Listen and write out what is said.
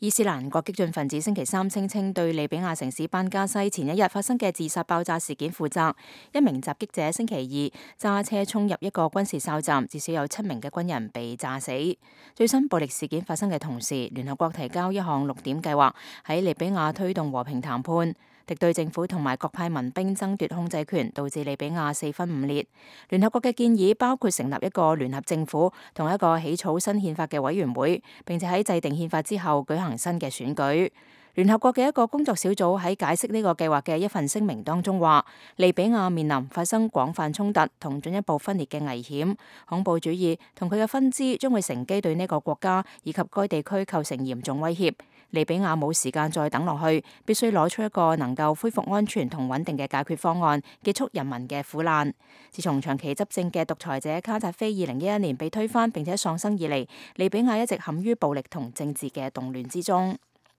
伊斯蘭國激進分子星期三聲稱對利比亞城市班加西前一日發生嘅自殺爆炸事件負責。一名襲擊者星期二揸車衝入一個軍事哨站，至少有7名嘅軍人被炸死。最新暴力事件發生嘅同時，聯合國提交一項6點計劃，喺利比亞推動和平談判。敵對政府同埋各派民兵爭奪控制權，導致利比亞4分5裂。聯合國嘅建議包括成立一個聯合政府同一個起草新憲法嘅委員會，並且喺制定憲法之後舉行新嘅選舉。聯合國嘅一個工作小組喺解釋呢個計劃嘅一份聲明當中話，利比亞面臨發生廣泛衝突同進一步分裂嘅危險，恐怖主義同佢嘅分支將會乘機對呢個國家以及該地區構成嚴重威脅。利比亞冇時間再等落去，必須攞出一個能夠恢復安全同穩定嘅解決方案，結束人民嘅苦難。自從長期執政嘅獨裁者卡扎菲2011年被推翻並且喪生以嚟，利比亞一直陷於暴力同政治嘅動亂之中。